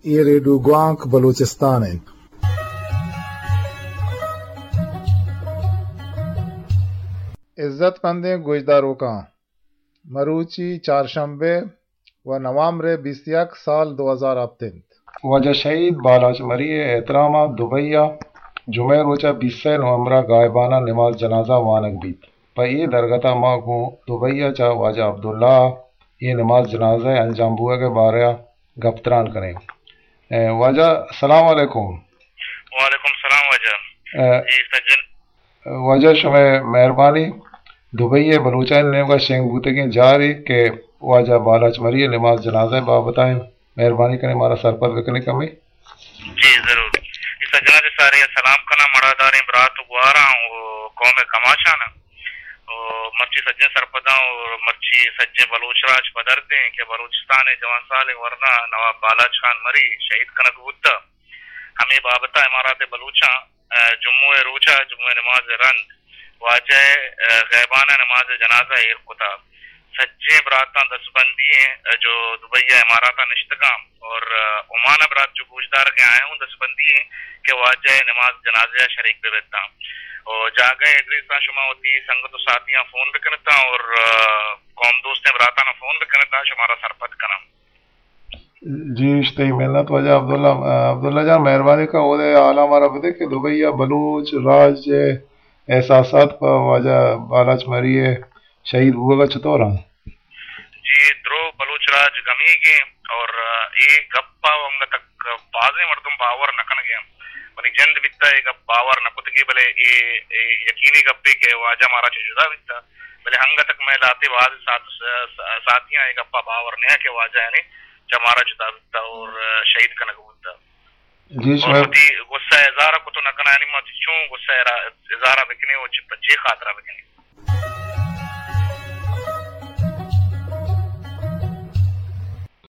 اے ریڈیو گوانک بلوچستان انت۔ عزت مندیں گوشداروکاں، مروچی چارشنبے و نوامبر بیست یک سال دو ہزار ہپت انت۔ واجہ شہید بالاچ مری ء احترام ء دبئی ء جمعہ روچ ء بیست نومبر ء غائبانہ نماز جنازہ وانگ بیت۔ پہ اے درگت ء ما گوں دبئی ء چہ واجہ عبداللہ ء اے نماز جنازہ ء انجام بوگ ء بارہ ء گپ تران کنیں۔ اے، واجہ، السلام علیکم۔ وعلیکم السلام واجہ۔ اے، جی سجن۔ واجہ شمئے مہربانی، دبئی ء بلوچانی نیمگا شنگ بوتگیں جارے کہ واجہ بالاچ مری ء نماز جنازہ ء بابت ء انت، مہربانی کنیں مارا سرپد بکنیں کمے۔ جی ضرور۔ اے سجنا چہ سارے ء سلام کناں، مڑاداریں برات و گواراں و قوم کماشاں۔ و مرچی سجیں سرپداں و مرچی سجیں بلوچ راج پدردیں کہ بلوچستان ء جوان سالیں ورنا نواب بالاچ خان مری شہید کنگ بوتہ۔ ہمے بابت ء امارات بلوچاں، ء، جمعہ ء روچ ء جمعہ نماز ء رند واجہ ء، ء، غیبانہ نماز ء جنازہ ایر کتہ۔ سجیں براتاں دستبندی ایں، ء، جو دبئی ء امارات ء نشتگاں اور، ء، عمان ء برات جو گوشدارگ ء آیاں ہوں دستبندی ایں کہ واجہ ء نماز جنازہ ء شریک بہ بیتاں۔ و جاگہ ء ایڈریس ء شما وتی سنگت و ساتیاں فون بکنتاں اور، ء، قوم دوستیں براتاں فون بکنتاں، شمارا سرپد کناں۔ جی، اشتئی منت واجہ عبداللہ۔ عبداللہ جان، مہربانی کن اودے حالا مارا بدے کہ دبئی ء بلوچ راج ء احساسات پہ واجہ بالاچ مری ء شہید بوگ ء چطور انت؟ جی، درو بلوچ راج گمیگیں اور اے گپ ء انگت بازیں مردم باور نہ کنگ ء انت۔ منی جند بیتہ اے گپ باور نہ کتگی، بلے اے، اے یقینی گپے کہ واجہ مارا چہ جدا بیتہ، بلے انگت مئے لہتے باز سات-، ساتیاں اے گپ ء باور نہ کہ واجہ یعنی چہ مارا جدا بیتہ اور شہید کنگ بوتہ۔ جی، اور شمئے وتی غصہ اظہار کت نہ کناں، یعنی ما چہ چون غصہ را اظہار بکنیں و چہ پہ چے خاطرہ بکنیں؟